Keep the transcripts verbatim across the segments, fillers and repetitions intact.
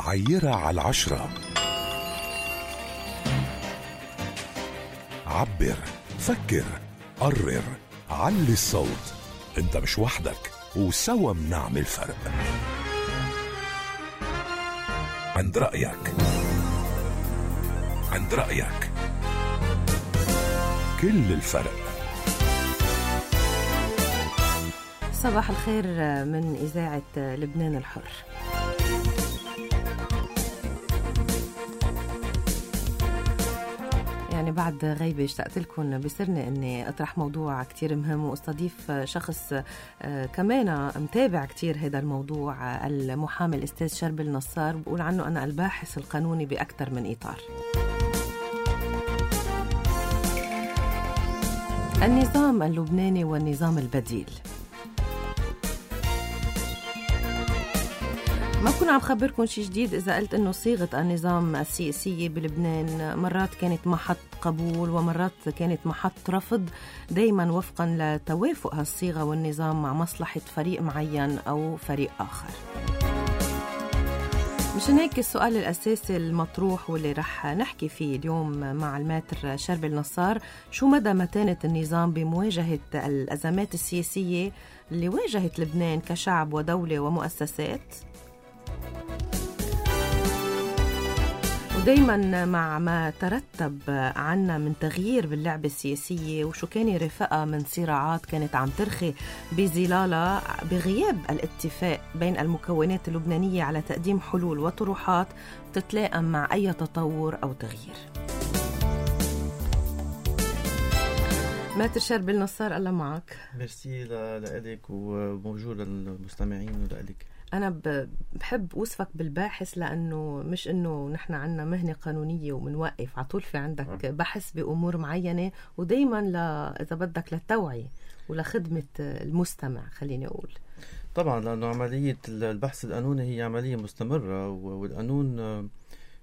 عيرها على العشرة. عبر، فكر، قرر، علي الصوت. انت مش وحدك، وسوا منعمل فرق. عند رأيك، عند رأيك كل الفرق. صباح الخير من إذاعة لبنان الحر. يعني بعد غيبة اشتقت لكم بسرني أني أطرح موضوع كتير مهم واستضيف شخص كمان متابع كتير هذا الموضوع، المحامي الأستاذ شربل نصار. بقول عنه أنا الباحث القانوني بأكثر من إطار. النظام اللبناني والنظام البديل. ما بكون عم خبركم شيء جديد إذا قلت إنه صيغة النظام السياسي بلبنان مرات كانت محط قبول ومرات كانت محط رفض، دايما وفقا لتوافق هالصيغة والنظام مع مصلحة فريق معين أو فريق آخر. مشان هيك السؤال الأساسي المطروح واللي رح نحكي فيه اليوم مع الماتر شربل نصار: شو مدى متانة النظام بمواجهة الأزمات السياسية اللي واجهت لبنان كشعب ودولة ومؤسسات، ودايما مع ما ترتب عنا من تغيير باللعبة السياسية، وشو كان يرافقها من صراعات كانت عم ترخي بظلالها بغياب الاتفاق بين المكونات اللبنانية على تقديم حلول وطروحات تتلائم مع أي تطور أو تغيير. ماتر شربل نصار، الله معك. ميرسي لك وموجود للمستمعين ولك. أنا بحب أوصفك بالباحث لأنه مش إنه نحن عنا مهنة قانونية ومنوقف عطول، في عندك بحث بأمور معينة، ودايما ل... إذا بدك للتوعية ولخدمة المستمع خليني أقول. طبعا لأنه عملية البحث القانوني هي عملية مستمرة، والقانون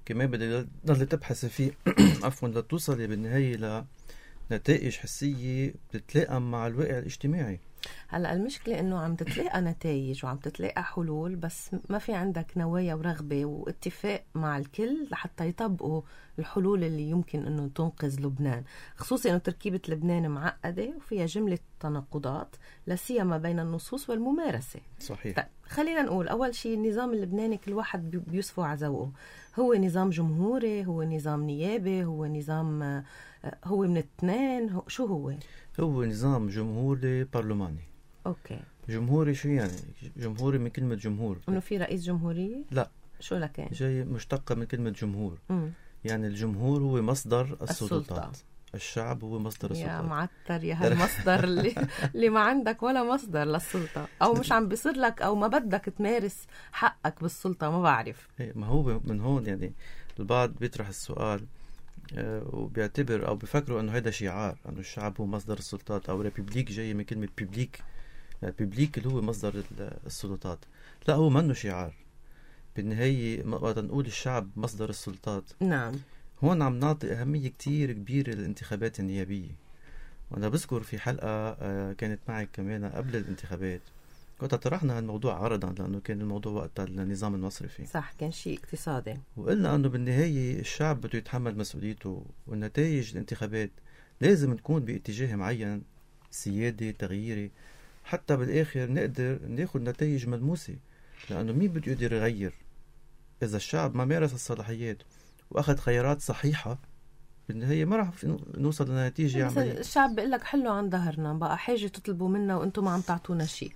كمان بدأ تضل تبحث فيه عفوا لتوصلي بالنهاية لنتائج حسية بتتلائم مع الواقع الاجتماعي. هلأ المشكلة إنه عم تتلاقى نتائج وعم تتلاقى حلول، بس ما في عندك نوايا ورغبة واتفاق مع الكل لحتى يطبقوا الحلول اللي يمكن إنه تنقذ لبنان، خصوصا إنه تركيبة لبنان معقدة وفيها جملة تناقضات لا سيما بين النصوص والممارسة. صحيح. طيب خلينا نقول أول شيء النظام اللبناني كل واحد بيصفو على ذوقه. هو نظام جمهوري، هو نظام نيابي، هو نظام هو من الاثنين، شو هو؟ هو نظام جمهوري برلماني. اوكي. جمهوري شو يعني؟ جمهوري من كلمة جمهور، انه في رئيس جمهورية؟ لا. شو لكان؟ جاي مشتقة من كلمة جمهور. مم. يعني الجمهور هو مصدر السلطات، السلطة. الشعب هو مصدر السلطات. يا معتر يا هالمصدر اللي, اللي ما عندك ولا مصدر للسلطة، او مش عم بيصير لك او ما بدك تمارس حقك بالسلطة، ما بعرف. ما هو من هون يعني البعض بيطرح السؤال وبيعتبر أو بيفكروا أنه هذا شعار، أنه الشعب هو مصدر السلطات، أو ريبوبليك جاي من كلمة بيبليك، يعني بيبليك اللي هو مصدر السلطات. لا، هو منه شعار. بالنهاية وقت نقول الشعب مصدر السلطات، نعم، هون عم نعطي أهمية كتير كبيرة للانتخابات النيابية. وأنا بذكر في حلقة كانت معي كمان قبل الانتخابات كنت طرحنا هالموضوع عرضا، لأنه كان الموضوع وقتها النظام المصرفي، صح، كان شيء اقتصادي، وقلنا أنه بالنهاية الشعب بده يتحمل مسؤوليته، والنتائج الانتخابات لازم تكون باتجاه معين سيادي تغييري، حتى بالآخر نقدر ناخد نتائج ملموسة. لأنه مين بده يقدر يغير إذا الشعب ما مارس الصلاحيات وأخذ خيارات صحيحة؟ بالنهاية ما راح نوصل لنتيجة عملية. الشعب بيقول لك حلو عن ظهرنا، بقى حاجة تطلبوا منا وأنتم ما عم تعطونا شيء.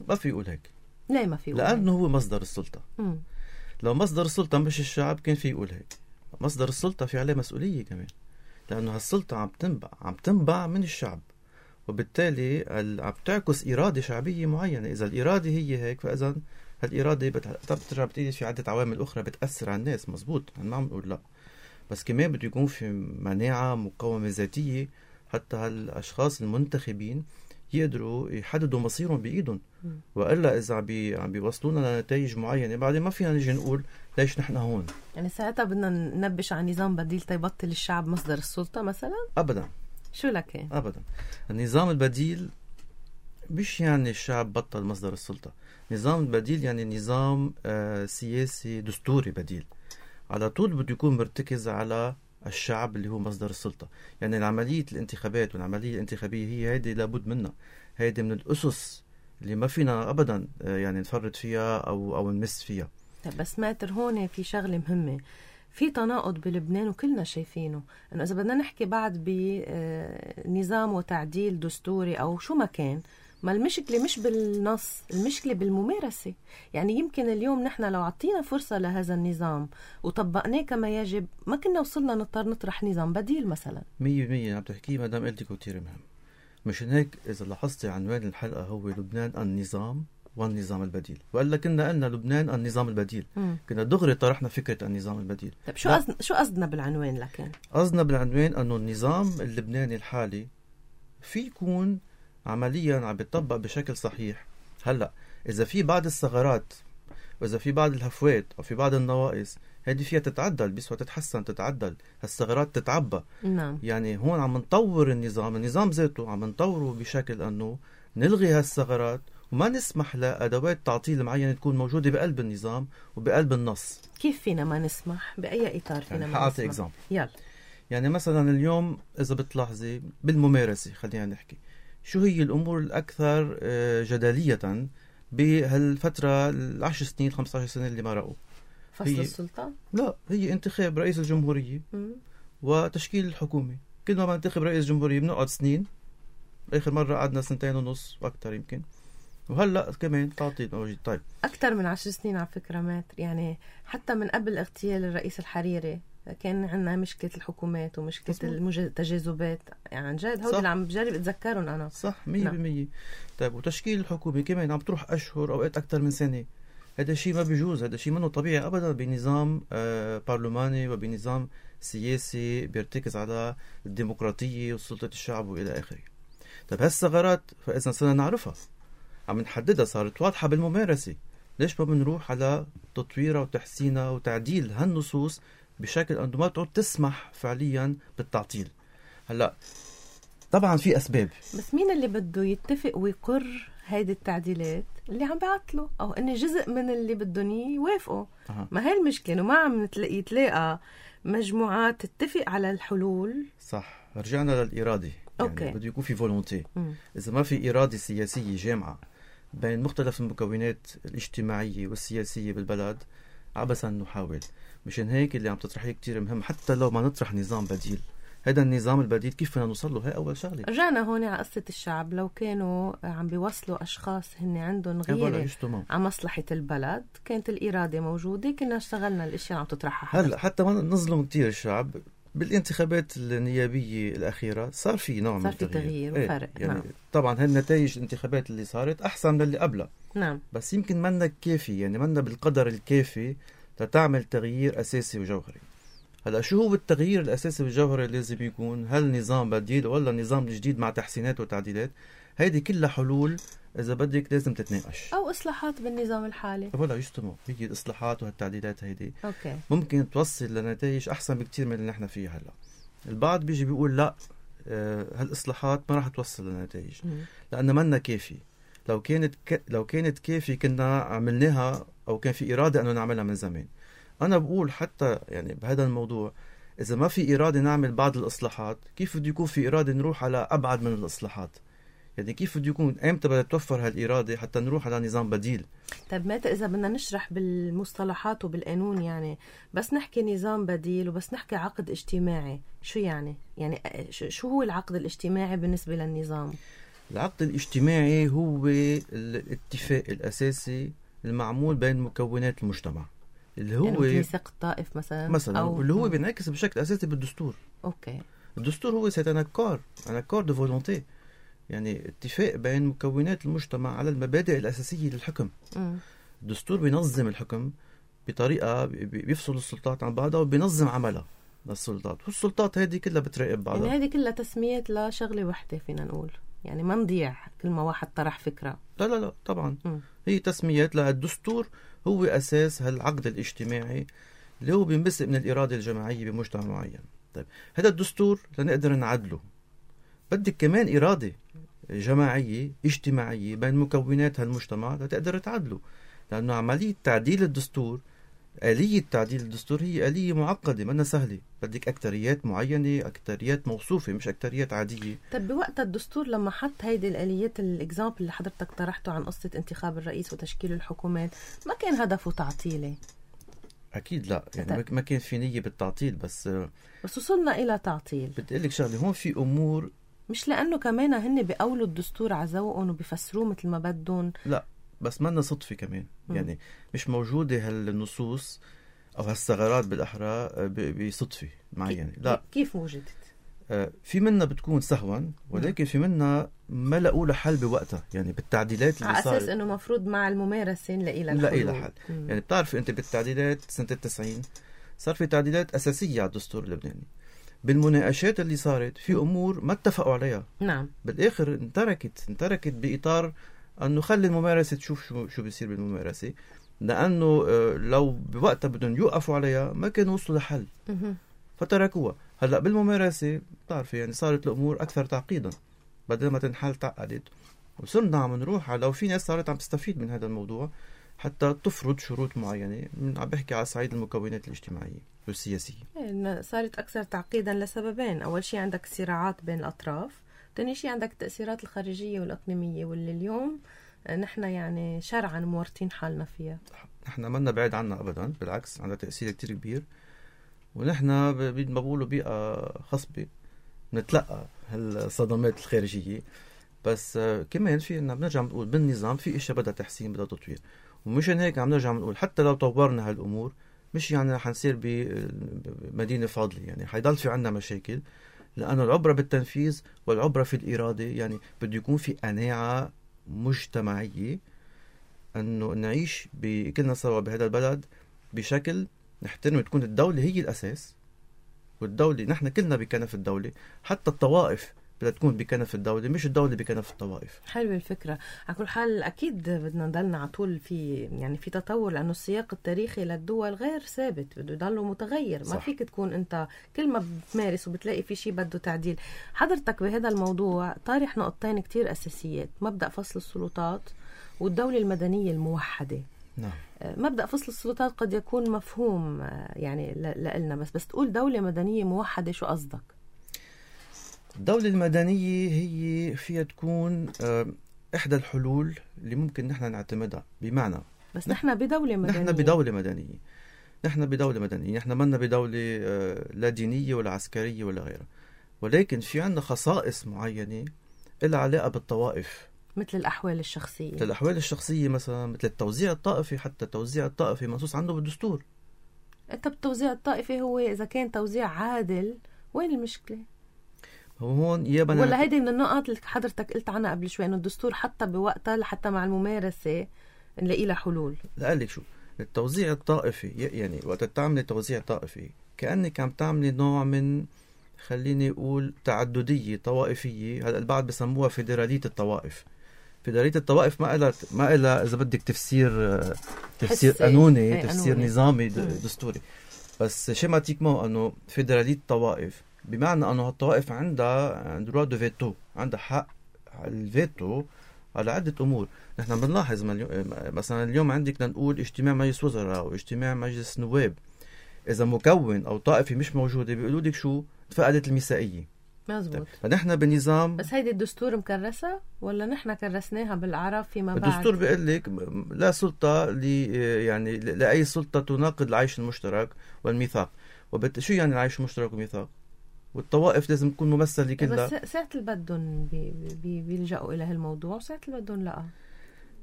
ما في يقول هيك. ليه ما في يقول هيك؟ لأنه هو مصدر السلطة. مم. لو مصدر السلطة مش الشعب كان في يقول هيك. مصدر السلطة في عليه مسؤولية كمان، لأنه هالسلطة عم تنبع عم تنبع من الشعب، وبالتالي عم تعكس إرادة شعبية معينة. إذا الإرادة هي هيك، فإذا هالإرادة بترجع بتيجي في عدة عوامل أخرى بتأثر على الناس. مزبوط، ما عم نقول لا، بس كمان بده يكون في مناعة مقاومة ذاتية حتى هالأشخاص المنتخبين يقدروا يحددوا مصيرهم بإيدهم. وإلا إذا عم بي عم بيوصلونا لنتائج معينة بعدين ما فينا نيجي نقول ليش نحن هون. يعني ساعتها بدنا ننبش على نظام بديل تيبطل الشعب مصدر السلطة مثلا؟ أبدا. شو لك؟ أبدا. النظام البديل مش يعني الشعب بطل مصدر السلطة. نظام بديل يعني نظام آه سياسي دستوري بديل على طول بده يكون مرتكز على الشعب اللي هو مصدر السلطة. يعني العملية الانتخابات والعملية الانتخابية هي هيدي لابد منها، هيدي من الأسس اللي ما فينا أبدا آه يعني نفرط فيها أو أو نمس فيها. بس ماتر هون في شغلة مهمة، في تناقض بلبنان وكلنا شايفينه، انه اذا بدنا نحكي بعد بنظام وتعديل دستوري او شو ما كان، ما المشكلة مش بالنص، المشكلة بالممارسة. يعني يمكن اليوم نحن لو عطينا فرصة لهذا النظام وطبقناه كما يجب ما كنا وصلنا نضطر نطرح نظام بديل مثلا. مية مية عم تحكي مدام قلتك كتير مهم. مش هيك إذا لاحظتي عنوان الحلقة هو لبنان النظام والنظام البديل، وقال لك كنا قلنا لبنان النظام البديل، مم. كنا دغري طرحنا فكرة النظام البديل. طيب شو قصد... شو قصدنا بالعنوان؟ لكن قصدنا بالعنوان أنه النظام اللبناني الحالي في يكون عمليا عم بيطبق بشكل صحيح. هلأ إذا في بعض الثغرات وإذا في بعض الهفوات أو في بعض النواقص، هذه فيها تتعدل، بيسوى تتحسن تتعدل، هالثغرات تتعبى. نعم. يعني هون عم نطور النظام، النظام ذاته عم نطوره بشكل أنه نلغي هالثغرات وما نسمح لأدوات تعطيل معينة تكون موجودة بقلب النظام وبقلب النص. كيف فينا ما نسمح؟ بأي إطار فينا يعني ما حاعطي نسمح؟ إكزامبل. يلا. يعني مثلا اليوم إذا بتلاحظي بالممارسة، خلينا نحكي شو هي الأمور الأكثر جدلية بهالفترة العشر سنين خمسة عشر سنة اللي مرقوا؟ فصل السلطة؟ لا، هي انتخاب رئيس الجمهورية م- وتشكيل الحكومة. كل ما بننتخب رئيس جمهورية بنقعد سنين، آخر مرة قعدنا سنتين ونص وأكثر يمكن، وهلأ كمان تعطيل موجود. طيب أكثر من عشر سنين على فكرة ماتر، يعني حتى من قبل اغتيال الرئيس الحريري كان عندنا مشكلة الحكومات ومشكلة التجاذبات. يعني عن جد هول اللي عم بجرب أتذكرهم أنا. صح مية بالمية. طيب وتشكيل الحكومة كمان عم تروح أشهر أوقات أكثر من سنة. هذا شيء ما بيجوز، هذا شيء منه طبيعي أبدا بنظام آه برلماني وبنظام سياسي بيرتكز على الديمقراطية وسلطة الشعب وإلى آخره. طيب هالثغرات فإذا صرنا نعرفها، عم نحددها، صارت واضحة بالممارسة، ليش ما بنروح على تطويرها وتحسينها وتعديل هالنصوص بشكل أنه ما تعود تسمح فعليا بالتعطيل؟ هلأ طبعا في أسباب، بس مين اللي بده يتفق ويقر هيدي التعديلات؟ اللي عم بيعطلوا أو أن جزء من اللي بدهم يوافقوا. أه. ما هي المشكلة إنه ما عم يتلاقى مجموعات تتفق على الحلول. صح، رجعنا للإرادة. يعني بده يكون في فولونتي. إذا ما في إرادة سياسية جامعة بين مختلف المكونات الاجتماعية والسياسية بالبلد، عبثا نحاول. مشان هيك اللي عم تطرحيه كتير مهم، حتى لو ما نطرح نظام بديل، هذا النظام البديل كيف فينا نوصل له؟ هي أول شغلة. رجعنا هون على قصة الشعب. لو كانوا عم بيوصلوا أشخاص هن عندهم غيرة على مصلحة البلد، كانت الإرادة موجودة، كنا اشتغلنا الأشياء عم تطرحها. هلا حتى ما نظلم كتير الشعب، بالانتخابات النيابية الأخيرة صار في نوع من التغيير، صار في تغيير وفرق. ايه يعني نعم. طبعا هالنتائج الانتخابات اللي صارت أحسن من اللي قبلها. نعم. بس يمكن منا كافي، يعني منا بالقدر الكافي لتعمل تغيير أساسي وجوهري. هلا شو هو التغيير الأساسي والجوهري اللي لازم يكون؟ هل نظام بديل ولا نظام جديد مع تحسينات وتعديلات؟ هيدي كلها حلول إذا بدك لازم تتناقش، أو إصلاحات بالنظام الحالي. ولا يجتمعوا هي الإصلاحات وهالتعديلات هيدي أوكي. ممكن توصل لنتائج أحسن بكتير من اللي نحن فيه هلا. البعض بيجي بيقول لا، آه هالإصلاحات ما راح توصل لنتائج لأنها منا كافي. لو كانت ك... لو كانت كافي كنا عملناها، أو كان في إرادة أنه نعملها من زمان. أنا بقول حتى يعني بهذا الموضوع، إذا ما في إرادة نعمل بعض الإصلاحات، كيف بده يكون في إرادة نروح على أبعد من الإصلاحات؟ يعني كيف بده يكون أمتى بدها توفر هالإرادة حتى نروح على نظام بديل؟ طيب متى إذا بدنا نشرح بالمصطلحات وبالقانون، يعني بس نحكي نظام بديل وبس نحكي عقد اجتماعي، شو يعني؟ يعني شو هو العقد الاجتماعي بالنسبة للنظام؟ العقد الاجتماعي هو الاتفاق الأساسي المعمول بين مكونات المجتمع، اللي هو يعني ميثاق الطائف مثلا مثلا أو اللي هو بينعكس بشكل أساسي بالدستور. أوكي. الدستور هو سيت ان اكور ان اكور دو فولونتي، يعني اتفاق بين مكونات المجتمع على المبادئ الأساسية للحكم. م. الدستور بينظم الحكم بطريقة بيفصل السلطات عن بعضها وبينظم عملها للسلطات، والسلطات هذه كلها بتراقب بعضها. يعني هذه كلها تسميات لشغلة واحدة فينا نقول، يعني ما نضيع كل ما واحد طرح فكرة. لا لا لا طبعا. م. هي تسميات. للدستور هو أساس هالعقد الاجتماعي اللي هو بينبثق من الإرادة الجماعية بمجتمع معين. طيب هذا الدستور لنقدر نعدله بدك كمان إرادة، جماعية اجتماعية بين مكونات هالمجتمع لتقدر تعدلوا. لأنه عملية تعديل الدستور، آلية تعديل الدستور هي آلية معقدة منا سهلة، بدك أكتريات معينة، أكتريات موصوفة مش أكتريات عادية. طب بوقت الدستور لما حط هيدي الآليات الإكزامبل اللي حضرتك طرحته عن قصة انتخاب الرئيس وتشكيل الحكومات، ما كان هدفه تعطيله؟ أكيد لا، يعني ما كان في نية بالتعطيل، بس بس وصلنا إلى تعطيل. بدي أقول لك شغلة، هون في أمور مش لأنه كمان هن بيقولوا الدستور عزوقهم وبيفسروه مثل ما بدهم. لا بس منا صدفة كمان، م. يعني مش موجودة هالنصوص أو هالثغرات بالأحرى بصدفة معينة. لا، كيف وجدت؟ آه في منا بتكون سهوا، ولكن في منا ما لقوا له حل بوقتها، يعني بالتعديلات اللي على صارت أساس إنه مفروض مع الممارسة نلاقي لها نلاقي لها حل. يعني بتعرفي أنت بالتعديلات سنة التسعين صار في تعديلات أساسية على الدستور اللبناني. بالمناقشات اللي صارت في أمور ما اتفقوا عليها. نعم. بالآخر انتركت انتركت بإطار أنه خلي الممارسة تشوف شو شو بيصير بالممارسة، لأنه لو بوقتها بدهم يوقفوا عليها ما كانوا وصلوا لحل فتركوها. هلأ بالممارسة بتعرفي يعني صارت الأمور أكثر تعقيدا، بدل ما تنحل تعقدت، وصرنا عم نروح على، وفي ناس صارت عم تستفيد من هذا الموضوع حتى تفرض شروط معينة. من عم بحكي على صعيد المكونات الاجتماعية والسياسية. صارت أكثر تعقيدا لسببين. أول شيء عندك صراعات بين الأطراف، ثاني شيء عندك التأثيرات الخارجية والإقليمية واللي اليوم نحن يعني شرعا مورطين حالنا فيها. نحن منا بعيد عنها أبدا، بالعكس عندها تأثير كتير كبير، ونحن ما بقولوا بيئة خصبة نتلقى هالصدمات الخارجية. بس كمان في إننا بنرجع نقول بالنظام في إشياء بدها تحسين بدها تطوير، ومشان هيك عم نرجع نقول حتى لو طورنا هالأمور مش يعني رح نصير بمدينة فاضلة، يعني حيضل في عنا مشاكل، لأنه العبرة بالتنفيذ والعبرة في الإرادة. يعني بده يكون في قناعة مجتمعية أنه نعيش كلنا سوا بهذا البلد بشكل نحترم، تكون الدولة هي الأساس، والدولة نحن كلنا بكنف الدولة، حتى الطوائف بدها تكون بكنف الدولة مش الدولة بكنف الطوائف. حلوة الفكرة. على كل حال أكيد بدنا نضلنا على طول في يعني في تطور، لأنه السياق التاريخي للدول غير ثابت، بده يضله متغير. صح. ما فيك تكون أنت كل ما بتمارس وبتلاقي في شيء بده تعديل. حضرتك بهذا الموضوع طارح نقطتين كتير أساسيات: مبدأ فصل السلطات والدولة المدنية الموحدة. نعم. مبدأ فصل السلطات قد يكون مفهوم يعني لنا، بس بس تقول دولة مدنية موحدة شو قصدك؟ الدولة المدنية هي فيها تكون إحدى الحلول اللي ممكن نحن نعتمدها. بمعنى بس نحن بدولة مدنية، نحن بدولة مدنية نحن بدولة مدنية نحن منا بدولة لا دينية ولا عسكرية ولا غيرها، ولكن في عنا خصائص معينة لها علاقة بالطوائف، مثل الأحوال الشخصية. مثل الأحوال الشخصية مثلا، مثل التوزيع الطائفي. حتى التوزيع الطائفي منصوص عنه بالدستور. أنت بالتوزيع الطائفي هو إذا كان توزيع عادل وين المشكلة؟ هون يابا ولا هيدي من النقط اللي حضرتك قلت عنها قبل شوي، إنه الدستور حتى بوقتها لحتى مع الممارسة نلاقي لها حلول. لا قال لك شو التوزيع الطائفي، يعني وقت تعملي توزيع طائفي كأنك عم تعملي نوع من، خليني أقول، تعددية طوائفية. هلا البعض بسموها فيدرالية الطوائف. فيدرالية الطوائف ما إلها ما إلها إذا بدك تفسير تفسير قانوني، تفسير قانوني. نظامي دستوري، بس شيماتيكمون أنه فيدرالية الطوائف بمعنى أنه الطوائف عندها دروا دو فيتو، عندها حق الفيتو على عدة أمور. نحن بنلاحظ مثلا اليوم عندك لنقول اجتماع مجلس وزراء أو اجتماع مجلس نواب، إذا مكون أو طائفة مش موجودة بيقولوا لك شو فقدت الميثاقية. مزبوط. فنحن بنظام، بس هيدي الدستور مكرسة ولا نحن كرسناها بالعرب فيما بعد؟ الدستور بيقول لك لا سلطة لي يعني لأي سلطة تناقض العيش المشترك والميثاق. وبت شو يعني العيش المشترك والميثاق؟ والطوائف لازم تكون ممثلة كلها. بس ساعة اللي بدهم بي بي بيلجأوا إلى هالموضوع، وساعة اللي بدهم لا.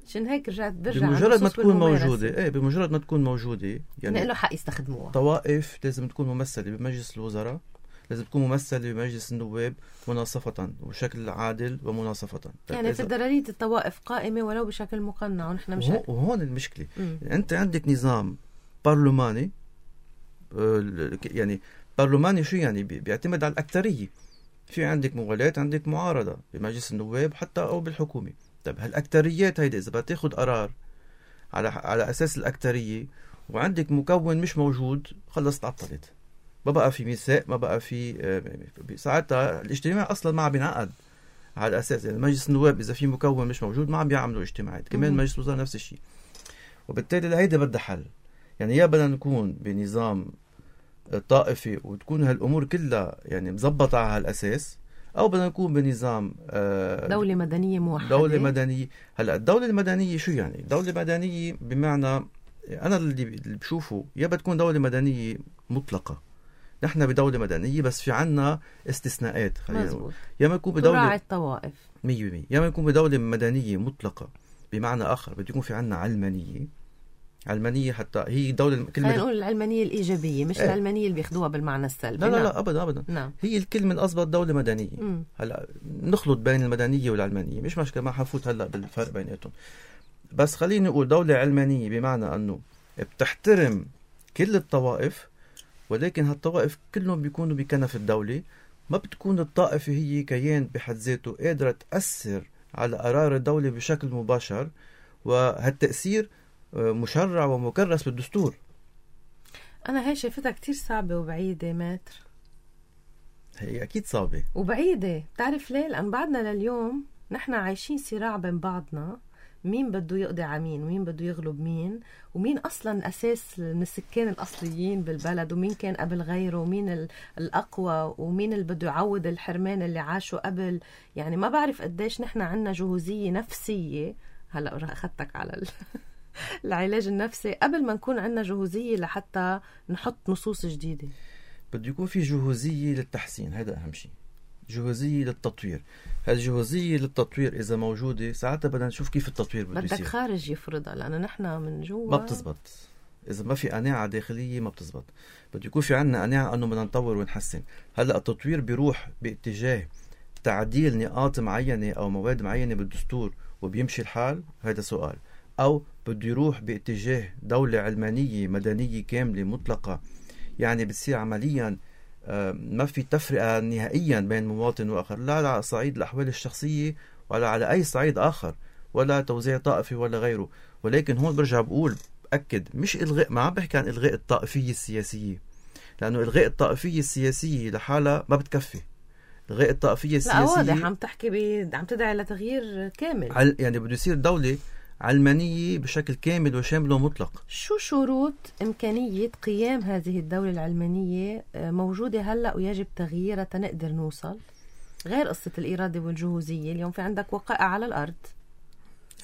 عشان هيك رجعت برجع بمجرد ما تكون موجودة، ايه بمجرد ما تكون موجودة يعني له حق يستخدموها. طوائف لازم تكون ممثلة بمجلس الوزراء، لازم تكون ممثلة بمجلس النواب مناصفة وبشكل عادل ومناصفة. يعني فدرالية الطوائف قائمة ولو بشكل مقنع، ونحن مش وهو وهون المشكلة. يعني أنت عندك نظام برلماني، يعني برلماني شو يعني؟ بيعتمد على الأكترية. في عندك موالاة، عندك معارضة بمجلس النواب حتى أو بالحكومة. طيب هالأكتريات هيدا إذا بتاخد قرار على على أساس الأكترية وعندك مكون مش موجود، خلص تعطلت، ما بقى في ميثاق، ما بقى في ساعتها الاجتماع أصلا ما عم بينعقد. على الأساس يعني مجلس النواب إذا في مكون مش موجود ما عم بيعملوا اجتماعات، كمان مجلس الوزراء نفس الشيء. وبالتالي هيدا بدها حل. يعني يا بدنا نكون بنظام طائفي وتكون هالأمور كلها يعني مزبطة على هالأساس، أو بدنا نكون بنظام دولة مدنية موحدة. دولة مدنية. هلأ الدولة المدنية شو يعني؟ دولة مدنية بمعنى أنا اللي بشوفه يا بتكون دولة مدنية مطلقة، نحن بدولة مدنية بس في عنا استثناءات، خلينا يا ما نكون بدولة تراعي الطوائف مية بالمية، يا ما نكون بدولة مدنية مطلقة بمعنى آخر بده يكون في عنا علمانية. علمانية حتى هي دولة كلمة، خلينا نقول العلمانية الإيجابية مش ايه. العلمانية اللي بياخدوها بالمعنى السلبي. لا لا نعم. لا أبدا أبدا نعم. هي الكلمة الأضبط دولة مدنية. مم. هلا نخلط بين المدنية والعلمانية مش مشكلة، ما حفوت هلا بالفرق بيناتهم، بس خليني أقول دولة علمانية بمعنى أنه بتحترم كل الطوائف، ولكن هالطوائف كلهم بيكونوا بكنف الدولة، ما بتكون الطائفة هي كيان بحد ذاته قادرة تأثر على قرار الدولة بشكل مباشر، وهالتأثير مشرع ومكرس بالدستور. أنا هاي شايفتها كتير صعبة وبعيدة ماتر. هي أكيد صعبة وبعيدة، بتعرف ليه؟ لأن بعدنا لليوم نحن عايشين صراع بين بعضنا، مين بده يقضي على مين ومين بده يغلب مين، ومين أصلا أساس من السكان الأصليين بالبلد، ومين كان قبل غيره، ومين الأقوى، ومين اللي بده يعوض الحرمان اللي عاشوا قبل. يعني ما بعرف قديش نحن عنا جهوزية نفسية. هلأ أخذتك على ال... العلاج النفسي قبل ما نكون عنا جهوزية لحتى نحط نصوص جديدة. بده يكون في جهوزية للتحسين، هذا أهم شيء، جهوزية للتطوير. هالجهوزية للتطوير إذا موجودة ساعتها بدنا نشوف كيف التطوير بده يصير. بدك خارج يفرضها، لأن نحن من جوا ما بتزبط. إذا ما في قناعة داخلية ما بتزبط. بده يكون في عنا قناعة أنه بدنا نطور ونحسن. هلأ التطوير بيروح باتجاه تعديل نقاط معينة أو مواد معينة بالدستور وبيمشي الحال، هذا سؤال. أو بده يروح باتجاه دولة علمانية مدنية كاملة مطلقة، يعني بتصير عمليا ما في تفرقة نهائيا بين مواطن وآخر، لا على صعيد الأحوال الشخصية ولا على أي صعيد آخر، ولا توزيع طائفي ولا غيره. ولكن هون برجع بقول أكد مش إلغاء، ما عم بحكي عن إلغاء الطائفية السياسية، لأنه إلغاء الطائفية السياسية لحالها ما بتكفي. إلغاء الطائفية السياسية لا واضح عم تحكي بي... عم تدعي لتغيير كامل. عل... يعني بده يصير دولة علمانية بشكل كامل وشامل ومطلق. شو شروط إمكانية قيام هذه الدولة العلمانية موجودة هلأ ويجب تغييرها تنقدر نوصل، غير قصة الإرادة والجهوزية؟ اليوم في عندك وقائع على الأرض.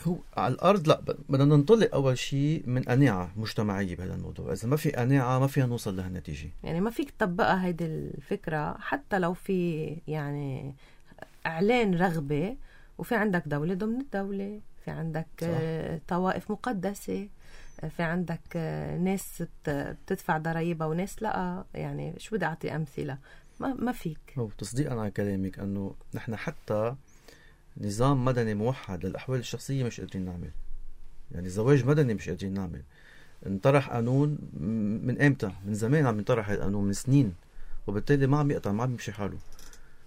هو على الأرض لا، بدنا ننطلق أول شيء من قناعة مجتمعية بهذا الموضوع. إذا ما في قناعة ما فيها نوصل لهالنتيجة. يعني ما فيك تطبقها هيدي الفكرة حتى لو في يعني إعلان رغبة، وفي عندك دولة ضمن الدولة، في عندك صح. طوائف مقدسة، في عندك ناس بتدفع ضرائبها وناس لا. يعني شو بدي أعطي أمثلة؟ ما, ما فيك. هو تصديقا على كلامك أنه نحن حتى نظام مدني موحد للأحوال الشخصية مش قادرين نعمل. يعني زواج مدني مش قادرين نعمل. انطرح قانون من امتى؟ من زمان عم ينطرح القانون، من سنين، وبالتالي ما عم يقطع، ما عم يمشي حاله.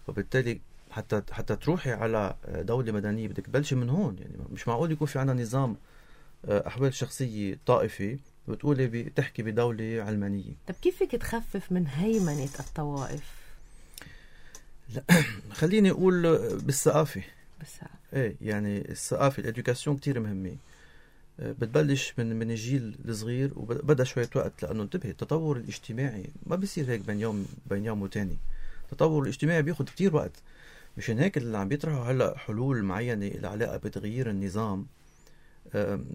وبالتالي حتى حتى تروحي على دولة مدنية بدك تبلشي من هون. يعني مش معقول يكون في عنا نظام أحوال شخصية طائفي بتقولي بتحكي بدولة علمانية. طب كيف فيك تخفف من هيمنة الطوائف؟ لا خليني أقول بالثقافة. بالثقافة ايه، يعني الثقافة الإدوكاسيون كتير مهمة. بتبلش من من الجيل الصغير وبدأ شوية وقت، لأنه انتبه التطور الاجتماعي ما بيصير هيك بين يوم بين يوم وتاني. التطور الاجتماعي بياخد كتير وقت. مشان هيك اللي عم بيطرحوا هلا حلول معينة العلاقة بتغيير النظام،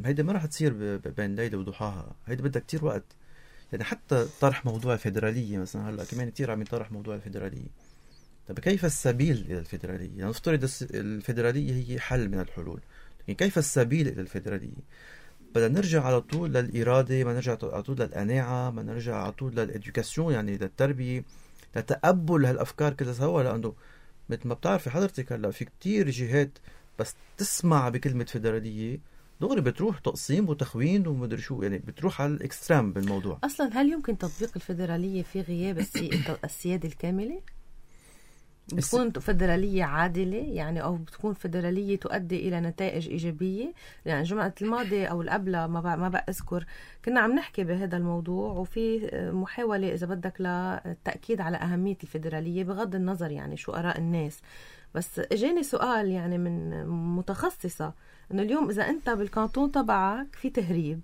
هيدا ما راح تصير بين ليلة وضحاها، هيدا بدها كتير وقت. يعني حتى طرح موضوع الفيدرالية مثلا، هلا كمان كتير عم يطرح موضوع الفيدرالية. طب كيف السبيل إلى الفيدرالية؟ يعني نفترض الفيدرالية هي حل من الحلول، لكن كيف السبيل إلى الفيدرالية؟ بدنا نرجع على طول للإرادة، ما نرجع على طول للقناعة، ما نرجع على طول للإدوكاسيون، يعني للتربية، لتقبل هالأفكار كلها سوا. لأنه مثل ما بتعرفي حضرتك هلا في كتير جهات بس تسمع بكلمة فيدرالية دغري بتروح تقسيم وتخوين ومدري شو، يعني بتروح على الإكسترام بالموضوع. أصلا هل يمكن تطبيق الفيدرالية في غياب السيادة الكاملة؟ بتكون فيدرالية عادلة يعني، أو بتكون فيدرالية تؤدي إلى نتائج إيجابية؟ يعني الجمعة الماضية أو القبلة ما بقى ما بقى أذكر كنا عم نحكي بهذا الموضوع، وفي محاولة إذا بدك للتأكيد على أهمية الفيدرالية بغض النظر يعني شو آراء الناس. بس اجاني سؤال يعني من متخصصة انه اليوم اذا انت بالكانتون تبعك في تهريب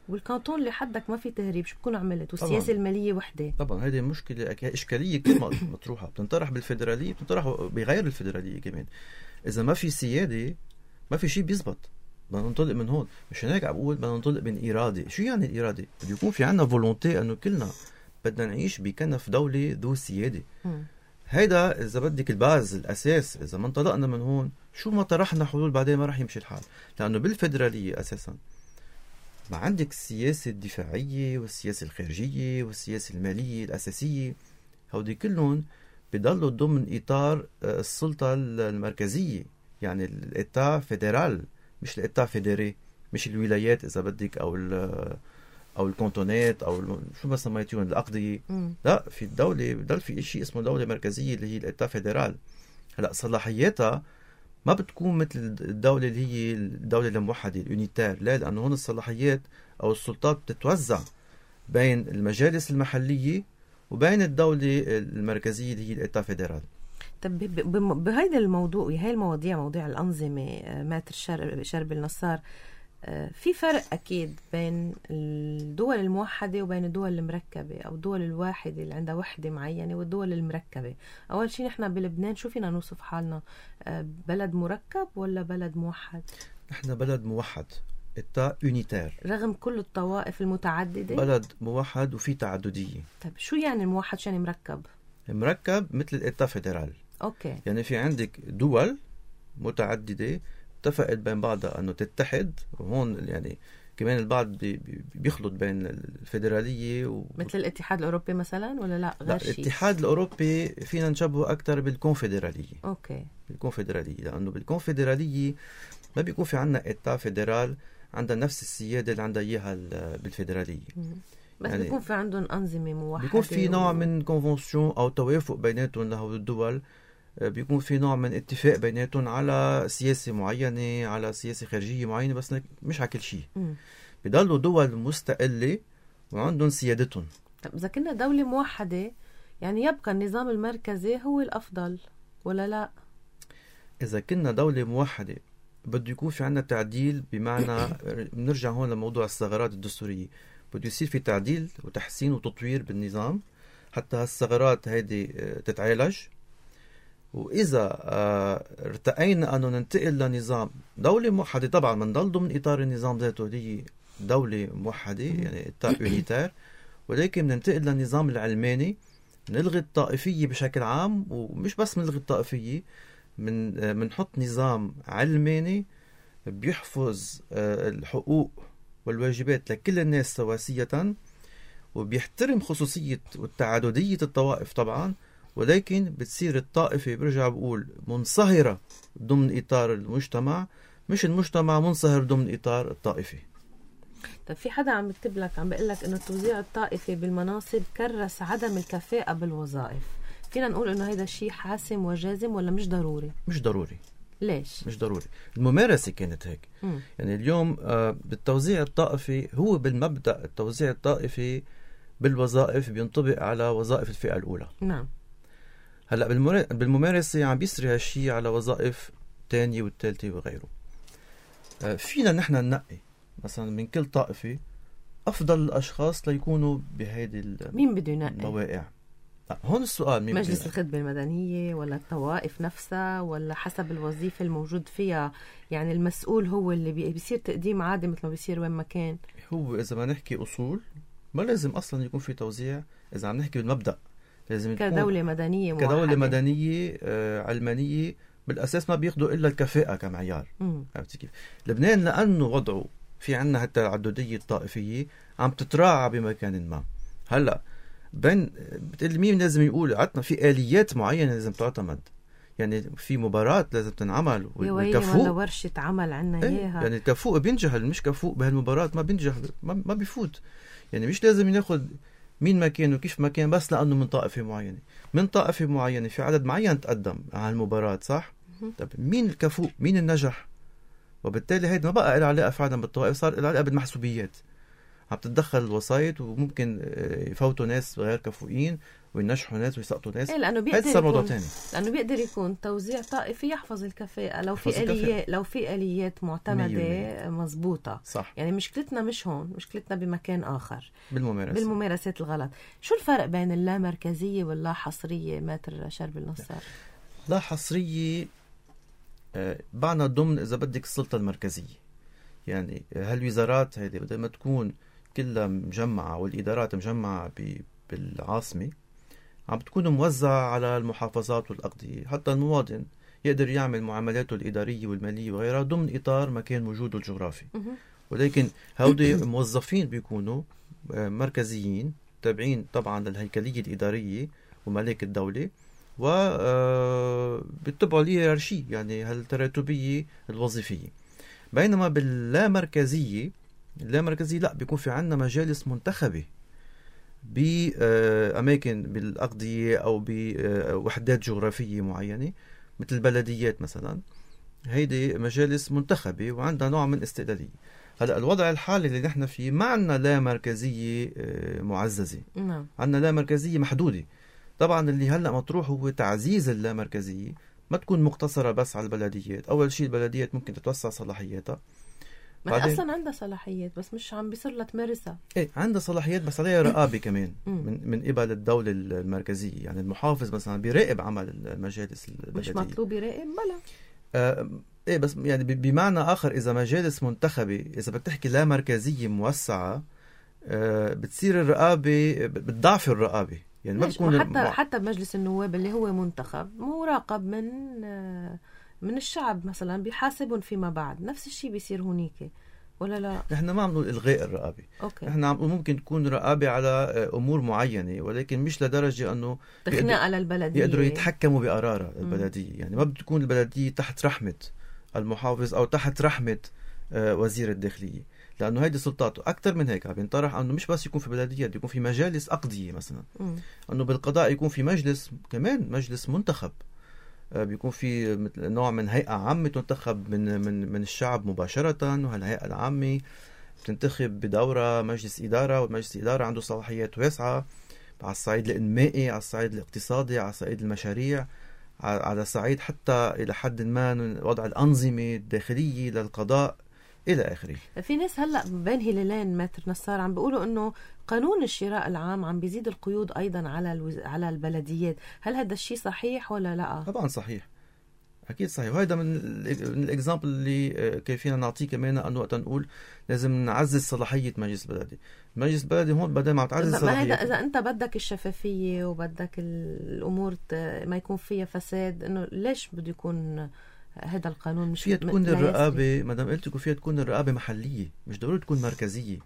والكانتون اللي حدك ما في تهريب، شو بكون عملت؟ والسياسة المالية وحدة. طبعا هذه مشكلة إشكالية كل ما مطروحة بتنطرح بالفيدرالية، بتنطرح بغير الفيدرالية كمان. إذا ما في سيادة ما في شيء بيزبط. بدنا ننطلق من هون، مش هيك عم بقول بدنا ننطلق من إرادة. شو يعني الإرادة؟ بده يكون في عنا فولونتي أنه كلنا بدنا نعيش بكنف دولة ذو سيادة. م. هيدا إذا بدك الباز الأساس. إذا ما انطلقنا من هون شو ما طرحنا حلول بعدين ما رح يمشي الحال، لأنه بالفيدرالية أساسا ما عندك السياسة الدفاعية والسياسة الخارجية والسياسة المالية الأساسية، هودي كلهم بيضلوا ضمن إطار السلطة المركزية، يعني الإتا فيدرال مش الإتا فيدري، مش الولايات إذا بدك أو أو الكونتونات أو شو ما سميتيهم الأقضية. لا، في الدولة بضل في شيء اسمه دولة مركزية اللي هي الإتا فيدرال. هلا صلاحياتها ما بتكون مثل الدولة اللي هي الدولة الموحدة اليونيتار، لا، لأنه هون الصلاحيات أو السلطات بتتوزع بين المجالس المحلية وبين الدولة المركزية اللي هي الإتا فيدرال. طب بهيدا الموضوع وهي المواضيع مواضيع الأنظمة ماتر شرب النصار، في فرق أكيد بين الدول الموحدة وبين الدول المركبة أو الدول الواحدة اللي عندها وحدة معينة والدول المركبة. أول شيء نحن بلبنان شو فينا نوصف حالنا؟ بلد مركب ولا بلد موحد؟ نحن بلد موحد، إتا يونيتار، رغم كل الطوائف المتعددة. بلد موحد وفي تعددية. طيب شو يعني موحد؟ شو يعني مركب؟ مركب مثل الإتا فيدرال. أوكي. يعني في عندك دول متعددة اتفقت بين بعضها أنه تتحد، وهون يعني كمان البعض بي بيخلط بين الفيدرالية و... مثل الاتحاد الأوروبي مثلا ولا لا غير شيء؟ الاتحاد الأوروبي فينا نشبهه أكتر بالكونفدرالية. أوكي. بالكونفدرالية، لأنه بالكونفدرالية ما بيكون في عنا إتا فيدرال عندها نفس السيادة اللي عندها إياها بالفيدرالية. بس يعني بيكون في عندهم أنظمة موحدة، بيكون في نوع و... من كونفنسيون أو توافق بيناتهم لهول الدول، بيكون في نوع من اتفاق بيناتهم على سياسة معينة، على سياسة خارجية معينة، بس مش على كل شيء. بيضلوا دول مستقلة وعندهم سيادتهم. طب إذا كنا دولة موحدة يعني يبقى النظام المركزي هو الأفضل ولا لا؟ إذا كنا دولة موحدة بده يكون في عنا تعديل، بمعنى بنرجع هون لموضوع الثغرات الدستورية، بده يصير في تعديل وتحسين وتطوير بالنظام حتى هالثغرات هيدي تتعالج. وإذا ارتقينا أنه ننتقل لنظام دولة موحدة، طبعا منضل ضمن إطار النظام ذاته اللي دولة موحدة يعني إتا يونيتار، ولكن ننتقل للنظام العلماني، نلغي الطائفية بشكل عام، ومش بس نلغي الطائفية، من منحط نظام علماني بيحفظ الحقوق والواجبات لكل الناس سواسية، وبيحترم خصوصية والتعددية الطوائف طبعا، ولكن بتصير الطائفة برجع بقول منصهرة ضمن إطار المجتمع، مش المجتمع منصهر ضمن إطار الطائفة. طيب في حدا عم يكتب لك عم بيقول لك إنه التوزيع الطائفي بالمناصب كرس عدم الكفاءة بالوظائف، فينا نقول إنه هيدا الشيء حاسم وجازم ولا مش ضروري؟ مش ضروري. ليش؟ مش ضروري. الممارسة كانت هيك. م. يعني اليوم آه بالتوزيع الطائفي، هو بالمبدأ التوزيع الطائفي بالوظائف بينطبق على وظائف الفئة الأولى. نعم. هلا بالممارسة عم بيسري هالشيء على وظائف تانية والثالثة وغيره. آه فينا نحن ننقي مثلا من كل طائفة أفضل الأشخاص ليكونوا بهيدي مين بده ينقي المواقع. هون السؤال، مين مجلس الخدمة المدنية ولا الطوائف نفسها ولا حسب الوظيفة الموجود فيها؟ يعني المسؤول هو اللي بيصير تقديم عادي مثل ما بيصير وين ما كان. هو إذا ما نحكي أصول ما لازم أصلا يكون في توزيع. إذا عم نحكي بالمبدأ لازم كدولة مدنية موحدة. كدولة مدنية آه علمانية بالأساس ما بياخدوا إلا الكفاءة كمعيار. عرفتي كيف؟ لبنان لأنه وضعه في عنا حتى التعددية الطائفية عم تتراعى بمكان ما. هلأ بين بتقول مين لازم يقول؟ عطنا في آليات معينة لازم تعتمد، يعني في مباراة لازم تنعمل والكفوء ولا ورشة عمل عنا ايه؟ إياها. يعني الكفوء بينجح، اللي مش كفوء بهالمباراة ما بينجح، ما, ما بيفوت. يعني مش لازم ياخد مين ما كان وكيف ما كان بس لأنه من طائفة معينة. من طائفة معينة في عدد معين تقدم على المباراة، صح؟ طب مين الكفوء؟ مين النجح؟ وبالتالي هيدا ما بقى له علاقة فعلا بالطوائف، صار له علاقة بالمحسوبيات. عم تتدخل الوسائط وممكن يفوتوا ناس غير كفؤين وينجحوا ناس ويسقطوا ناس. إيه لأنه بيقدر هذا موضوع يكون تاني. لأنه بيقدر يكون توزيع طائفي يحفظ الكفاءة لو في آليات لو في آليات معتمدة مزبوطة. صح. يعني مشكلتنا مش هون، مشكلتنا بمكان آخر بالممارسة بالممارسات الغلط. شو الفرق بين اللامركزية واللا حصرية ماتر شرب النصار؟ لا حصرية بعنا ضمن إذا بدك السلطة المركزية، يعني هالوزارات هذه بدل ما تكون كلها مجمعة والإدارات مجمعة بالعاصمة عم بتكون موزعة على المحافظات والأقضية، حتى المواطن يقدر يعمل معاملاته الإدارية والمالية وغيرها ضمن إطار مكان وجوده الجغرافي. ولكن هؤلاء موظفين بيكونوا مركزيين تابعين طبعا للهيكلية الإدارية وملاك الدولة وبيتبعوا الهيرارشية يعني هالتراتبية الوظيفية. بينما باللامركزية اللامركزية لا بيكون في عنا مجالس منتخبة بأماكن بالأقضية أو بوحدات جغرافية معينة مثل البلديات مثلا، هيدي مجالس منتخبة وعندها نوع من استقلالية. هلأ الوضع الحالي اللي نحن فيه ما عنا لا مركزية معززة، عنا لا مركزية محدودة. طبعا اللي هلأ مطروح هو تعزيز اللامركزية، ما تكون مقتصرة بس على البلديات. أول شيء البلديات ممكن تتوسع صلاحياتها، ما هي أصلا عندها صلاحيات بس مش عم بيصير لها تمارسها. إيه عندها صلاحيات بس عليها رقابة كمان من من قبل الدولة المركزية. يعني المحافظ مثلا بيراقب عمل المجالس البلدية. مش مطلوب يراقب بلا آه إيه بس يعني بمعنى آخر إذا مجالس منتخبة إذا بدك تحكي لا مركزية موسعة آه بتصير الرقابة بتضعف الرقابة. يعني ما بتكون حتى الم... حتى بمجلس النواب اللي هو منتخب مراقب من آه من الشعب مثلا بيحاسبهم فيما بعد. نفس الشيء بيصير هونيك ولا لا؟ نحن ما عم نقول إلغاء الرقابة. أوكي. نحن عم ممكن تكون رقابة على أمور معينة ولكن مش لدرجة أنه تخنق على البلدية يقدروا يتحكموا بقرار البلدية. يعني ما بتكون البلدية تحت رحمة المحافظ أو تحت رحمة وزير الداخلية، لأنه هيدي سلطاته أكثر من هيك. بينطرح أنه مش بس يكون في بلديات، يكون في مجالس أقضية مثلا. م. أنه بالقضاء يكون في مجلس كمان مجلس منتخب، بيكون في نوع من هيئة عامة تنتخب من من من الشعب مباشرة، وهالهيئة العامة بتنتخب بدورة مجلس إدارة، والمجلس الإدارة عنده صلاحيات واسعة على الصعيد الإنمائي، على الصعيد الاقتصادي، على صعيد المشاريع، على صعيد حتى إلى حد ما وضع الأنظمة الداخلية للقضاء إلى آخره. في ناس هلأ بين هلالين ماتر نصار عم بيقولوا إنه قانون الشراء العام عم بيزيد القيود أيضا على الوز... على البلديات. هل هذا الشيء صحيح ولا لا؟ طبعا صحيح، أكيد صحيح. وهذا من الإكزامبل اللي كيفين نعطيه كمان أنه وقت نقول لازم نعزز صلاحية مجلس البلدي. مجلس البلدي هون بدل ما تعزز صلاحية، إذا أنت بدك الشفافية وبدك الأمور ما يكون فيها فساد، إنه ليش بده يكون هذا القانون مش فيها تكون الرقابة؟ ما دام قلت لكم فيها تكون الرقابة محلية، مش ضروري تكون مركزية.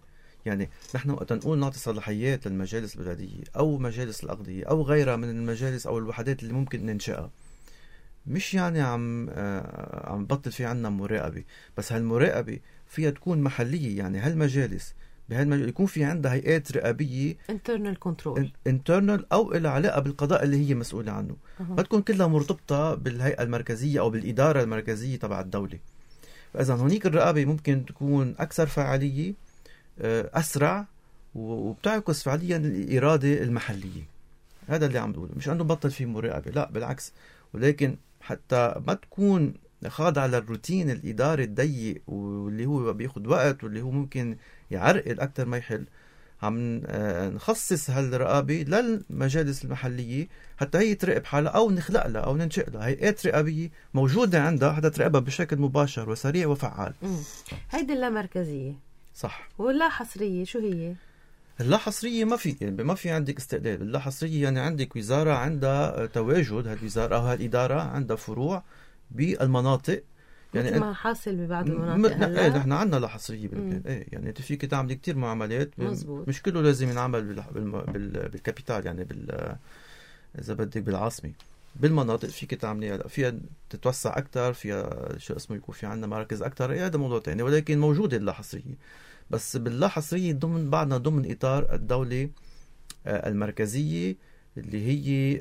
يعني نحن وقت نقول نعطي صلاحيات للمجالس البلدية أو مجالس الأقضية أو غيرها من المجالس أو الوحدات اللي ممكن ننشأها، مش يعني عم آه عم بطل في عنا مراقبة، بس هالمراقبة فيها تكون محلية. يعني هالمجالس بهالمجال يكون في عندها هيئات رقابية internal control internal أو إلى علاقة بالقضاء اللي هي مسؤولة عنه. ما أه. تكون كلها مرتبطة بالهيئة المركزية أو بالإدارة المركزية تبع الدولة. فإذا هونيك الرقابة ممكن تكون أكثر فعالية، أسرع، وبتعكس فعليا الإرادة المحلية. هذا اللي عم بقوله، مش أنه بطل في مراقبة، لا بالعكس. ولكن حتى ما تكون خاضعة للروتين الإداري الضيق واللي هو بياخد وقت واللي هو ممكن يعرقل أكتر ما يحل، عم نخصص هالرقابة للمجالس المحلية حتى هي تراقب حالها أو نخلق لها أو ننشئ لها هيئات رقابية موجودة عندها حتى تراقبها بشكل مباشر وسريع وفعال. هيدي اللامركزية صح. واللا حصرية شو هي؟ اللا حصرية ما في يعني ما في عندك استقلال. اللا حصرية يعني عندك وزارة عندها تواجد، هالوزارة أو هالإدارة عندها فروع بالمناطق. يعني مثل ما حاصل ببعض المناطق م... ايه نحن عندنا لا حصرية بالبلاد. ايه يعني انت فيك تعملي كتير معاملات، مزبوط. مش كله لازم ينعمل بال... بال... بال... بالكابيتال، يعني بال اذا بدك بالعاصمة. بالمناطق فيك تعملي فيها تتوسع أكتر، فيها شو اسمه يكون في عندنا مراكز أكتر. ايه هذا موضوع تاني، ولكن موجودة اللا حصرية. بس باللا حصرية ضمن بعضنا ضمن إطار الدولة المركزية اللي هي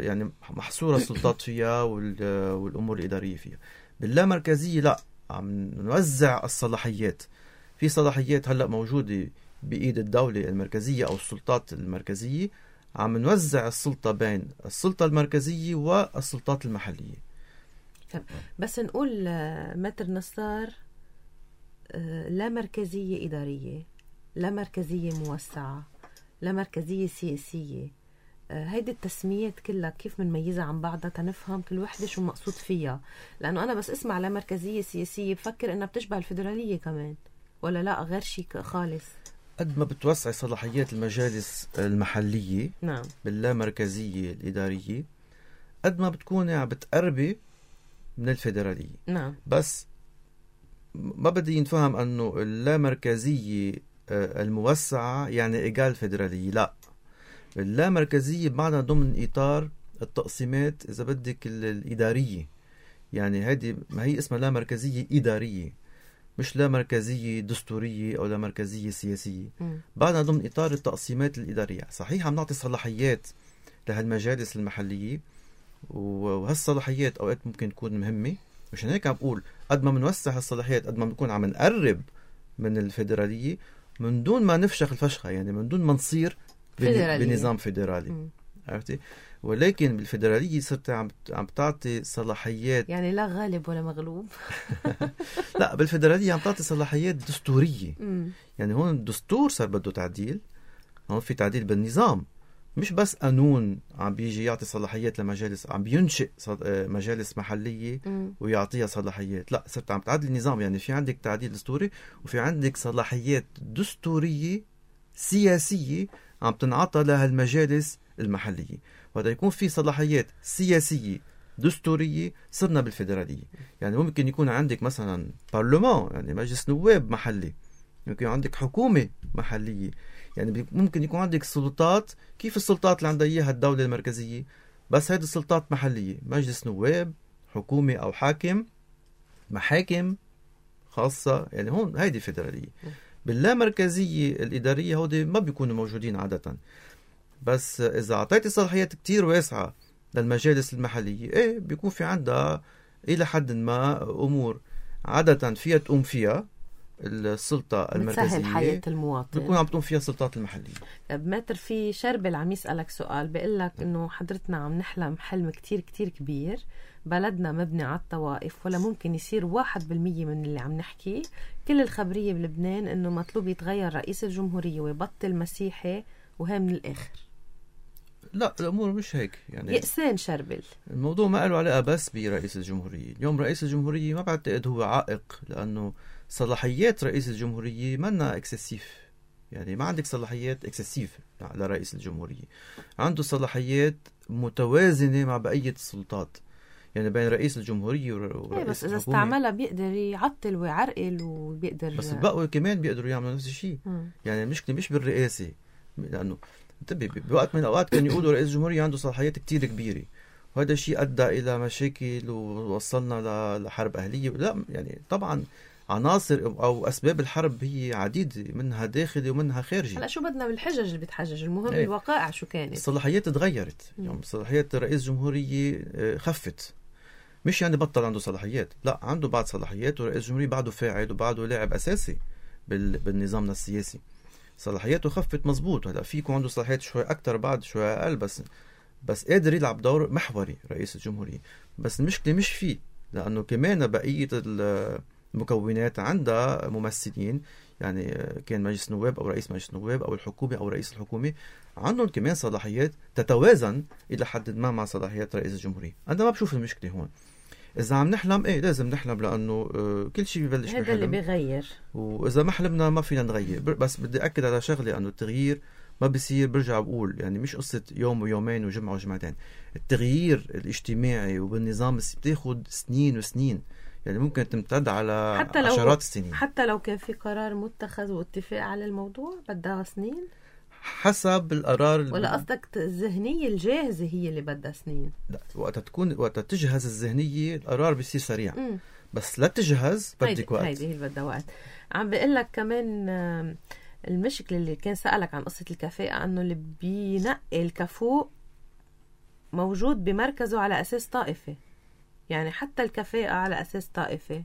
يعني محصورة السلطات فيها والأمور الإدارية فيها. باللا مركزية لا، عم نوزع الصلاحيات. في صلاحيات هلأ موجودة بإيد الدولة المركزية أو السلطات المركزية، عم نوزع السلطة بين السلطة المركزية والسلطات المحلية. بس نقول متر نصار لا مركزية إدارية، لا مركزية موسعة، لا مركزية سياسية، هيدي التسميات كلها كيف منميزها عن بعضها تنفهم كل وحدة شو مقصود فيها؟ لأنه أنا بس اسمع لا مركزية سياسية بفكر إنها بتشبه الفيدرالية كمان، ولا لا غير شيء خالص؟ قد ما بتوسع صلاحيات المجالس المحلية نعم باللامركزية الإدارية، قد ما بتكون عم بتقربي من الفيدرالية. نعم. بس ما بدي ينفهم أنه اللامركزية الموسعة يعني إيجال فيدرالية، لا. اللامركزية بمعنى ضمن إطار التقسيمات إذا بدك الإدارية، يعني هذه ما هي اسمها لامركزية إدارية، مش لا مركزية دستورية أو لا مركزية سياسية. بعدنا ضمن إطار التقسيمات الإدارية. صحيح عم نعطي صلاحيات لهالمجالس المحلية، وهالصلاحيات أوقات ممكن تكون مهمة، مشان هيك عم بقول قد ما منوسع هالصلاحيات قد ما بنكون عم نقرب من الفيدرالية من دون ما نفشخ الفشخة، يعني من دون ما نصير بنظام فيدرالي. عرفتي؟ ولكن بالفيدرالية صرت عم عم تعطي صلاحيات، يعني لا غالب ولا مغلوب. لا، بالفيدرالية عم تعطي صلاحيات دستورية. مم. يعني هون الدستور صار بده تعديل، هون في تعديل بالنظام، مش بس قانون عم بيجي يعطي صلاحيات لمجالس، عم بينشئ مجالس محلية مم. ويعطيها صلاحيات. لا، صرت عم تعدل النظام، يعني في عندك تعديل دستوري وفي عندك صلاحيات دستورية سياسية عم تنعطى لها المجالس المحلية. وهذا يكون في صلاحيات سياسية دستورية صرنا بالفيدرالية. يعني ممكن يكون عندك مثلا برلمان، يعني مجلس نواب محلي، ممكن عندك حكومة محلية، يعني ممكن يكون عندك سلطات كيف السلطات اللي عندها إياها الدولة المركزية، بس هذه السلطات محلية، مجلس نواب، حكومة أو حاكم، محاكم خاصة. يعني هون هيدي فيدرالية. باللامركزية الإدارية هودي ما بيكونوا موجودين عادة، بس إذا أعطيتي صلاحيات كتير واسعة للمجالس المحلية، إيه بيكون في عندها إلى حد ما أمور عادة فيها تقوم فيها السلطة المركزية، بتسهل حياة المواطن، بيكون عم تقوم فيها السلطات المحلية. بمتر في شربل عم يسألك سؤال، بيقول لك إنه حضرتنا عم نحلم حلم كتير كتير كبير، بلدنا مبني على الطوائف، ولا ممكن يصير واحد بالمية من اللي عم نحكي. كل الخبرية بلبنان إنه مطلوب يتغير رئيس الجمهورية ويبطل مسيحي، وهي من الآخر. لا، الأمور مش هيك. يعني يأسان شربل الموضوع ما له علاقة بس برئيس الجمهورية. اليوم رئيس الجمهورية ما بعتقد هو عائق، لأنه صلاحيات رئيس الجمهورية منا اكسسيف، يعني ما عندك صلاحيات اكسسيف لرئيس الجمهورية، عنده صلاحيات متوازنة مع بقية السلطات، يعني بين رئيس الجمهورية ورئيس بس إذا الحكومة. استعملها بيقدر يعطل ويعرقل وبيقدر، بس البقوة كمان بيقدروا يعملوا نفس الشيء. يعني المشكلة مش بالرئاسة، لأنه بوقت من الأوقات كانوا يقولوا رئيس الجمهورية عنده صلاحيات كتير كبيرة، وهذا الشيء أدى إلى مشاكل ووصلنا لحرب أهلية. لا، يعني طبعا عناصر أو أسباب الحرب هي عديدة، منها داخلي ومنها خارجي. هلا شو بدنا بالحجج اللي بتحجج، المهم ايه. الوقائع شو كانت. الصلاحيات تغيرت، يعني صلاحيات رئيس الجمهورية خفت، مش يعني بطل عنده صلاحيات، لا، عنده بعض صلاحيات، ورئيس الجمهورية بعده فاعل وبعده لاعب أساسي بالنظامنا السياسي. صلاحياته خفت مزبوط، هلا فيكم عنده صلاحيات شوي أكتر بعد شوي أقل، بس بس قادر يلعب دور محوري رئيس الجمهورية. بس المشكلة مش فيه، لأنه كمان بقية المكونات عندها ممثلين، يعني كان مجلس نواب أو رئيس مجلس نواب أو الحكومة أو رئيس الحكومة، عندهم كمان صلاحيات تتوازن إلى حد ما مع صلاحيات رئيس الجمهورية. أنا ما بشوف المشكلة هون. إذا عم نحلم، إيه لازم نحلم، لأنه كل شيء ببلش هذا اللي بيغير، وإذا ما حلمنا ما فينا نغير. بس بدي أكد على شغلة، أنه التغيير ما بيصير، برجع بقول يعني مش قصة يوم ويومين وجمعة وجمعتين. التغيير الاجتماعي وبالنظام بتاخد سنين وسنين، يعني ممكن تمتد على حتى لو عشرات السنين. حتى لو كان في قرار متخذ واتفاق على الموضوع بدها سنين حسب القرار. ولا قصدك الذهنية الجاهزة هي اللي بدها سنين؟ لا، وقت تكون وقت تجهز الذهنية القرار بيصير سريع. م. بس لا تجهز بدك وقت. هيدي هي اللي بدها وقت. عم بقول لك كمان المشكلة اللي كان سألك عن قصة الكفاءة، أنه اللي بينقي الكفوء موجود بمركزه على أساس طائفة، يعني حتى الكفاءة على أساس طائفة.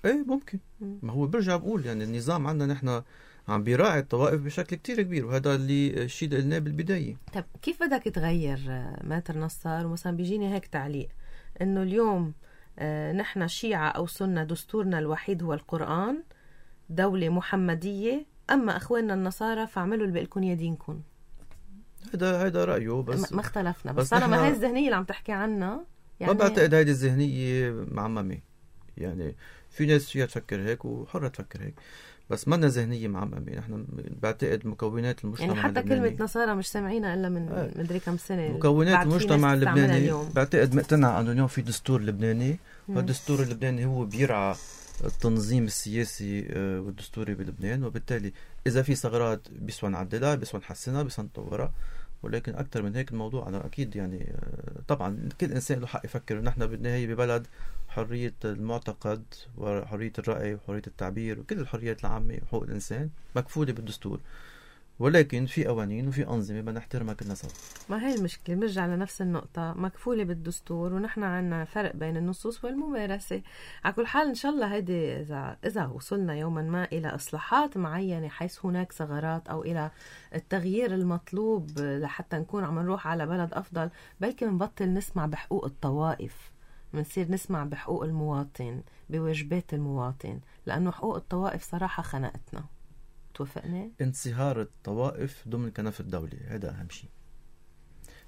ايه ممكن. مم. ما هو برجع بقول يعني النظام عندنا نحن عم بيراعي الطوائف بشكل كتير كبير، وهذا اللي الشيء اللي قلناه بالبداية. طب كيف بدك تغير ماتر نصار؟ ومثلا بيجيني هيك تعليق انه اليوم آه نحن شيعة او سنة دستورنا الوحيد هو القرآن، دولة محمدية، اما اخواننا النصارى فاعملوا اللي بقلكن يا دينكم. هذا هذا رأيه، بس ما اختلفنا، بس, بس طالما نحن... هاي الذهنية اللي عم تحكي عنها يعني ما بعتقد هيدي الذهنية معممة. يعني في ناس فيها تفكر هيك وحرة تفكر هيك، بس ما لنا ذهنية معممة. نحن بعتقد مكونات المجتمع يعني حتى اللبناني، كلمة نصارى مش سامعينها إلا من آه. مدري كم سنة. مكونات المجتمع اللبناني بعتقد مقتنع أنه اليوم في دستور لبناني، والدستور اللبناني هو بيرعى التنظيم السياسي والدستوري بلبنان، وبالتالي إذا في ثغرات بيسوى نعدلها، بيسوى نحسنها، بيسوى نطورها. ولكن أكثر من هيك الموضوع أنا أكيد يعني طبعا كل إنسان له حق يفكر. نحن بالنهاية ببلد حرية المعتقد وحرية الرأي وحرية التعبير وكل الحريات العامة وحقوق الإنسان مكفولة بالدستور، ولكن في قوانين وفي أنظمة بدنا نحترمها كلنا سوا. ما هي المشكلة، بنرجع لنفس النقطة، مكفولة بالدستور ونحن عنا فرق بين النصوص والممارسة. على كل حال إن شاء الله هيدي إذا إذا وصلنا يوما ما إلى إصلاحات معينة حيث هناك ثغرات أو إلى التغيير المطلوب لحتى نكون عم نروح على بلد أفضل، بلكي منبطل نسمع بحقوق الطوائف، منصير نسمع بحقوق المواطن، بواجبات المواطن، لأنه حقوق الطوائف صراحة خنقتنا. توافقني؟ انصهار الطوائف ضمن كنف الدولة هذا أهم شيء.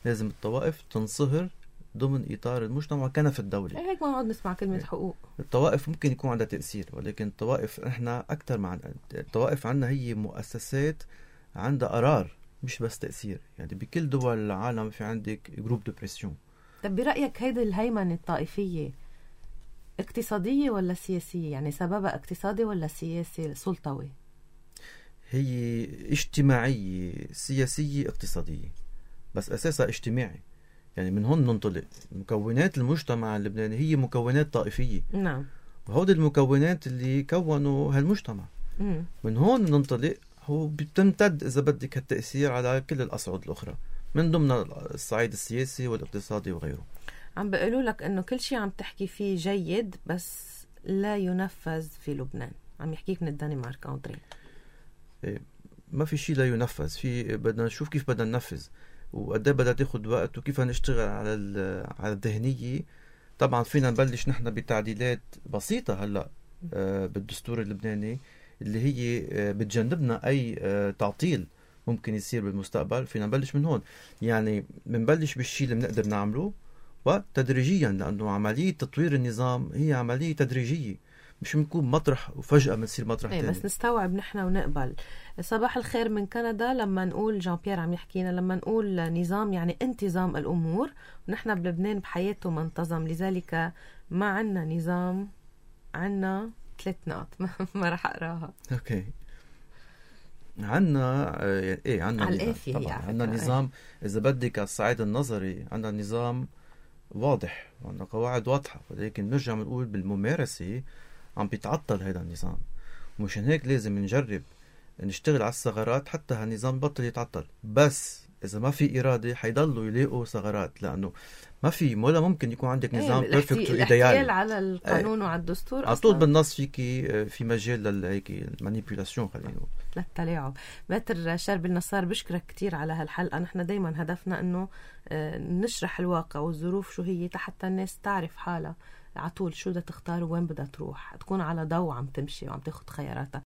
لازم الطوائف تنصهر ضمن إطار المجتمع وكنف الدولة. هيك ما نقعد نسمع كلمة هيك. حقوق. الطوائف ممكن يكون عندها تأثير، ولكن الطوائف إحنا أكتر مع الطوائف عندنا هي مؤسسات عندها قرار مش بس تأثير. يعني بكل دول العالم في عندك جروب دو بريسيون. طب برأيك هيدي الهيمنة الطائفية اقتصادية ولا سياسية؟ يعني سببها اقتصادي ولا سياسي سلطوي؟ هي اجتماعية سياسية اقتصادية، بس أساسها اجتماعي. يعني من هون ننطلق. مكونات المجتمع اللبناني هي مكونات طائفية. نعم. وهود المكونات اللي كونوا هالمجتمع. مم. من هون ننطلق. هو بتمتد إذا بدك هالتأثير على كل الأصعد الأخرى، من ضمن الصعيد السياسي والاقتصادي وغيره. عم بيقولوا لك إنه كل شيء عم تحكي فيه جيد بس لا ينفذ في لبنان. عم يحكيك من الدنمارك أندري. ما في شيء لا ينفذ، في بدنا نشوف كيف بدنا ننفذ وقد ايه بدها تاخذ وقت وكيف نشتغل على على الذهنيه. طبعا فينا نبلش نحن بتعديلات بسيطه هلا آه بالدستور اللبناني اللي هي آه بتجنبنا اي آه تعطيل ممكن يصير بالمستقبل. فينا نبلش من هون، يعني بنبلش بالشيء اللي بنقدر نعمله وتدريجيا، لانه عمليه تطوير النظام هي عمليه تدريجيه، مش بنكون مطرح وفجأة بنصير مطرح ايه تاني. بس نستوعب نحن ونقبل. صباح الخير من كندا. لما نقول جان بيير عم يحكينا، لما نقول نظام يعني انتظام الأمور، ونحن بلبنان بحياته ما انتظم، لذلك ما عنا نظام. عنا ثلاث نقط ما راح أقراها. اوكي. عنا ايه عنا نظام طبعا. عنا نظام اذا بدك على الصعيد النظري، عنا نظام واضح وعنا قواعد واضحة، ولكن نرجع بنقول بالممارسة عم بيتعطل هذا النظام. ومشان هيك لازم نجرب نشتغل على الثغرات حتى هالنظام بطل يتعطل. بس إذا ما في إرادة حيضلوا يلاقوا ثغرات، لأنه ما في ولا ممكن يكون عندك نظام ايه بيرفكت وإيديال. الاحتيال على القانون ايه. وعلى الدستور على طول بالنص فيك في مجال للهيك المانيبيولاسيون خلينا نقول للتلاعب. ماتر شرب النصار بشكرك كتير على هالحلقة. نحن دايما هدفنا انه نشرح الواقع والظروف شو هي حتى الناس تعرف حالها على طول شو بدها تختار وين بدها تروح، تكون على ضوء عم تمشي وعم تاخد خياراتها.